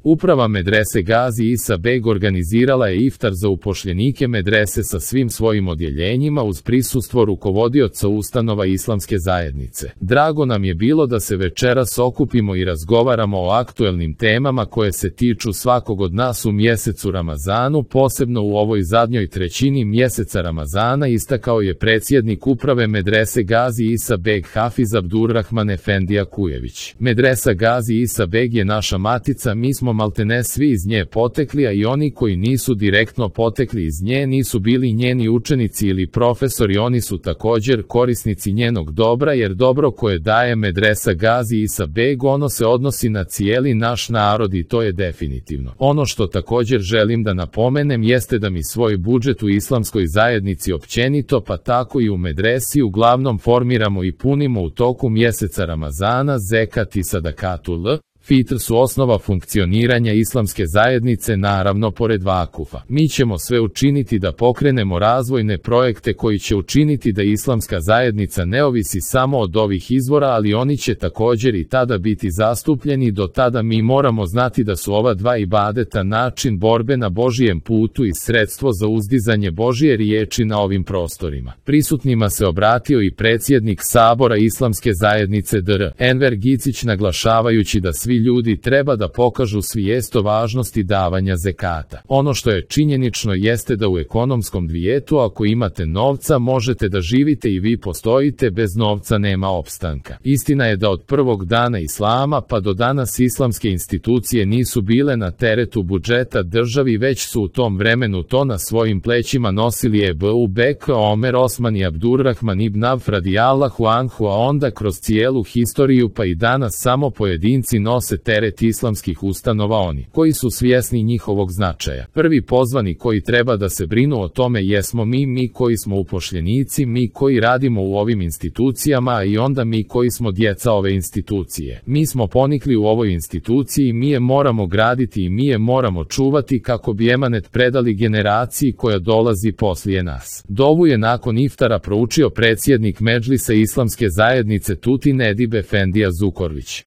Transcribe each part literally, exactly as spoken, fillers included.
Uprava medrese Gazi Isa Beg organizirala je iftar za upošljenike medrese sa svim svojim odjeljenjima uz prisustvo rukovodioca ustanova islamske zajednice. Drago nam je bilo da se večeras okupimo i razgovaramo o aktuelnim temama koje se tiču svakog od nas u mjesecu Ramazanu, posebno u ovoj zadnjoj trećini mjeseca Ramazana, istakao je predsjednik uprave medrese Gazi Isa Beg Hafiz Abdurrahman Efendija Kujević. Medresa Gazi Isa Beg je naša matica, mi smo maltene svi iz nje potekli, a i oni koji nisu direktno potekli iz nje nisu bili njeni učenici ili profesori, oni su također korisnici njenog dobra, jer dobro koje daje medresa Gazi Isa Beg, ono se odnosi na cijeli naš narod i to je definitivno. Ono što također želim da napomenem jeste da mi svoj budžet u islamskoj zajednici općenito, pa tako i u medresi, uglavnom formiramo i punimo u toku mjeseca Ramazana. Zekat i sadakatul fitr su osnova funkcioniranja islamske zajednice, naravno pored vakufa. Mi ćemo sve učiniti da pokrenemo razvojne projekte koji će učiniti da islamska zajednica ne ovisi samo od ovih izvora, ali oni će također i tada biti zastupljeni. Do tada mi moramo znati da su ova dva ibadeta način borbe na Božijem putu i sredstvo za uzdizanje Božije riječi na ovim prostorima. Prisutnima se obratio i predsjednik Sabora islamske zajednice dr. Enver Gicić, naglašavajući da svi ljudi treba da pokažu svijest o važnosti davanja zekata. Ono što je činjenično jeste da u ekonomskom svijetu ako imate novca možete da živite i vi postojite, bez novca nema opstanka. Istina je da od prvog dana islama pa do danas islamske institucije nisu bile na teretu budžeta državi, već su u tom vremenu to na svojim plećima nosili Ebu Bekr, Omer, Osman i Abdurrahman ibn Avf radijallahu anhu, a onda kroz cijelu historiju pa i danas samo pojedinci nose teret islamskih ustanova, oni koji su svjesni njihovog značaja. Prvi pozvani koji treba da se brinu o tome jesmo mi, mi koji smo upošljenici, mi koji radimo u ovim institucijama, i onda mi koji smo djeca ove institucije. Mi smo ponikli u ovoj instituciji, mi je moramo graditi i mi je moramo čuvati kako bi emanet predali generaciji koja dolazi poslije nas. Dovu je nakon iftara proučio predsjednik Medžlisa islamske zajednice Tutin Edip Efendija Zukorlić.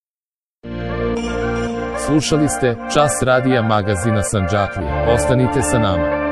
Slušali ste Čas radija magazina Sandžaklija. Ostanite sa nama.